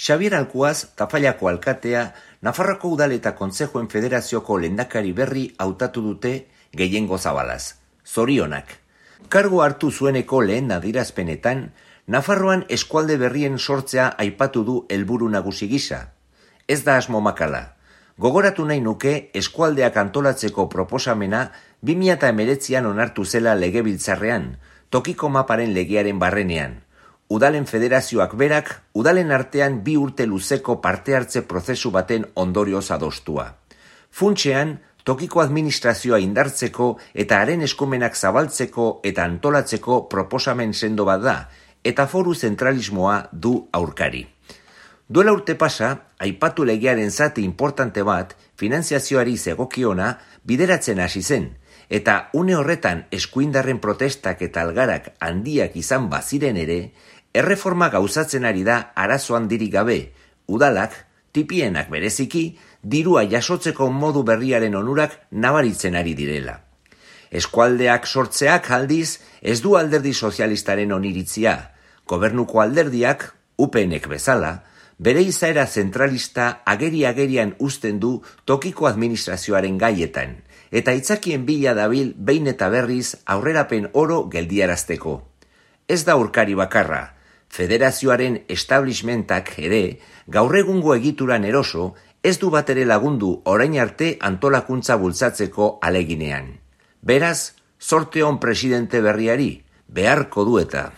Xabier Alkuaz, Tafallako alkatea, Nafarroako Udal eta Kontsejuen Federazioko lehendakari berri hautatu dute gehiengo zabalaz. Zorionak. Kargu hartu zueneko lehen adierazpenetan, Nafarroan eskualde berrien sortzea aipatu du helburu nagusi gisa. Ez da asmo makala. Gogoratu nahi nuke eskualdeak antolatzeko proposamena 2019an onartu zela legebiltzarrean, tokiko maparen legearen barrenean. Udalen federazioak berak, udalen artean 2 urte luzeko parte hartze prozesu baten ondorioz adostua. Funtsean, tokiko administrazioa indartzeko eta haren eskumenak zabaltzeko eta antolatzeko proposamen sendo bat da, eta foru zentralismoa du aurkari. Duela urte pasa, aipatu legearen zati importante bat, finanziazioari zegokiona, bideratzen hasi zen, eta une horretan eskuindarren protestak eta algarak handiak izan baziren ere, erreforma gauzatzen ari da arazo handirik gabe, udalak, tipienak bereziki, dirua jasotzeko modu berriaren onurak nabaritzen ari direla. Eskualdeak sortzeak aldiz ez du alderdi sozialistaren oniritzia, gobernuko alderdiak, UPNek bezala, bere izaera zentralista agerian uzten du tokiko administrazioaren gaietan, eta itzakien bila dabil behin eta berriz aurrerapen oro geldiarazteko. Ez da urkari bakarra, federazioaren establishmentak ere, gaur egungo egituran eroso, ez du batere lagundu orain arte antolakuntza bultzatzeko aleginean. Beraz, zorte on presidente berriari, beharko du eta.